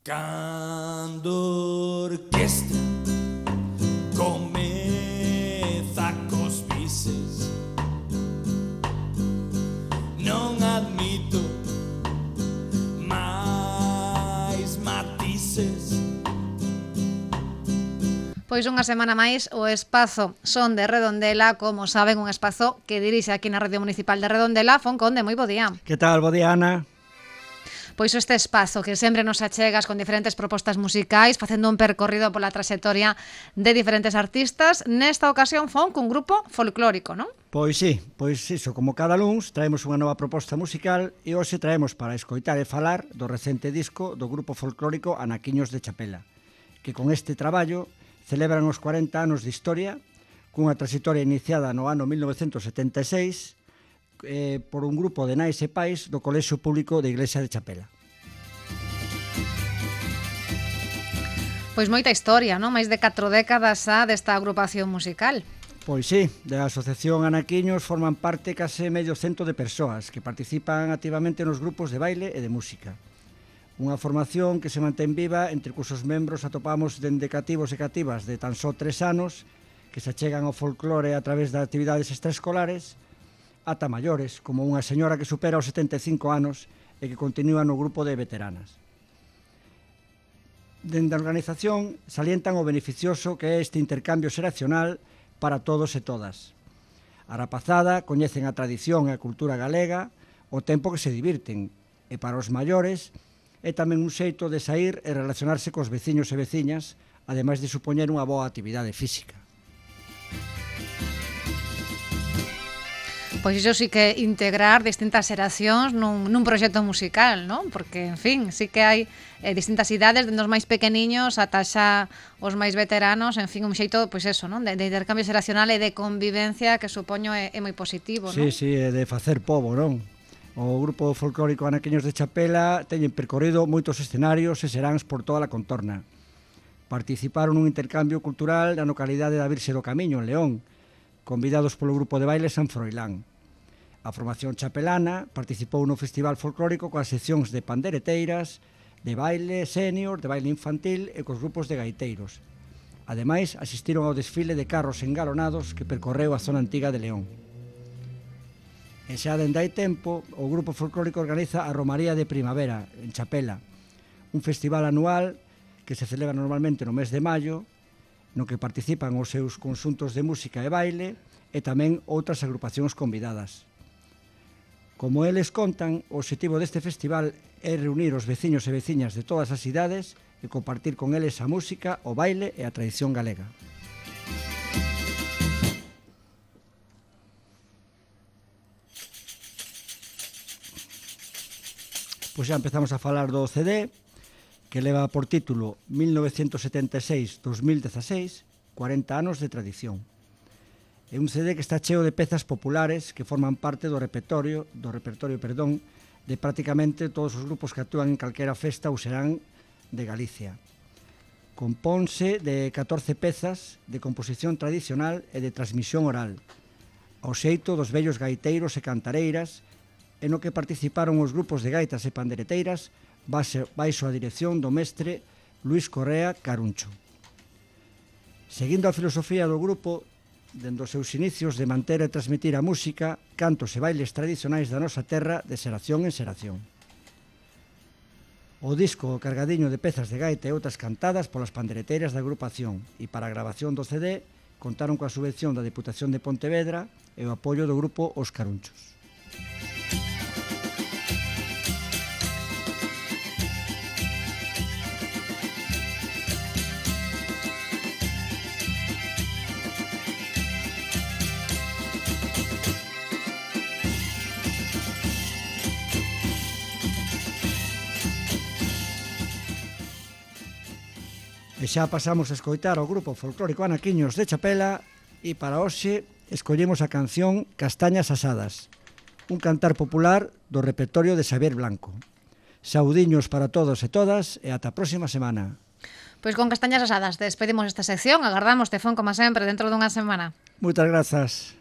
Cando orquestra comeza cos bises, non admito máis matices. Pois unha semana máis o espazo Son de Redondela, como saben, un espazo que dirixe aquí na Radio Municipal de Redondela. Fon Conde, moi bo día. Que tal, bo día, Ana? Pois este espazo que sempre nos achegas con diferentes propostas musicais, facendo un percorrido pola traxectoria de diferentes artistas. Nesta ocasión fon cun grupo folclórico, non? Pois sí, pois iso, como cada luns traemos unha nova proposta musical e hoxe traemos para escoitar e falar do recente disco do grupo folclórico Anaquiños de Chapela, que con este traballo celebran os 40 anos de historia, cunha traxectoria iniciada no ano 1976 por un grupo de nais e pais do Colexio Público de Iglesia de Chapela. Pois moita historia, non? Máis de 4 décadas xa desta agrupación musical. Pois sí, da Asociación Anaquiños forman parte case medio cento de persoas que participan activamente nos grupos de baile e de música. Unha formación que se mantén viva entre cusos membros atopamos dende cativos e cativas de tan só 3 anos que se achegan ao folclore a través de actividades extraescolares ata maiores, como unha señora que supera os 75 anos e que continúa no grupo de veteranas. Dende a organización salientan o beneficioso que é este intercambio xeracional para todos e todas. A rapazada coñecen a tradición e a cultura galega o tempo que se divirten, e para os maiores é tamén un xeito de saír e relacionarse cos veciños e veciñas, ademais de supoñer unha boa actividade física. Pois iso sí que integrar distintas xeracións nun proxecto musical, non? Porque, en fin, sí que hai distintas idades, dende os máis pequeniños ata xa os máis veteranos, en fin, un xeito, pois eso, non? De intercambio xeracional e de convivencia que supoño é moi positivo, non? Sí, sí, de facer pobo, non? O grupo folclórico Anaquiños de Chapela teñen percorrido moitos escenarios e seráns por toda a contorna. Participaron nun intercambio cultural na localidade da Virxe do Camiño, en León, convidados polo grupo de baile San Froilán. A formación chapelana participou no festival folclórico coas seccións de pandereteiras, de baile sénior, de baile infantil e cos grupos de gaiteiros. Ademais, asistiron ao desfile de carros engalonados que percorreu a zona antiga de León. E xa dende hai tempo, o grupo folclórico organiza a Romaría de Primavera, en Chapela, un festival anual que se celebra normalmente no mes de maio, no que participan os seus conxuntos de música e baile e tamén outras agrupacións convidadas. Como eles contan, o obxectivo deste festival é reunir os veciños e veciñas de todas as idades e compartir con eles a música, o baile e a tradición galega. Pois xa empezamos a falar do CD, que leva por título 1976-2016, 40 anos de tradición. É un CD que está cheo de pezas populares que forman parte do repertorio de prácticamente todos os grupos que actúan en calquera festa ou serán de Galicia. Compónse de 14 pezas de composición tradicional e de transmisión oral, ao xeito dos vellos gaiteiros e cantareiras, en o que participaron os grupos de gaitas e pandereteiras baixo a dirección do mestre Luis Correa Caruncho. Seguindo a filosofía do grupo, dende os seus inicios de manter e transmitir a música, cantos e bailes tradicionais da nosa terra de xeración en xeración. O disco cargadiño de pezas de gaita e outras cantadas polas pandereteiras da agrupación e para a grabación do CD contaron coa subvención da Deputación de Pontevedra e o apoio do grupo Os Carunchos. E xa pasamos a escoitar o grupo folclórico Anaquiños de Chapela e para hoxe escollemos a canción Castañas Asadas, un cantar popular do repertorio de Xavier Blanco. Saudiños para todos e todas e ata a próxima semana. Pois con Castañas Asadas despedimos esta sección, agardamos Tefón como sempre dentro dunha semana. Moitas grazas.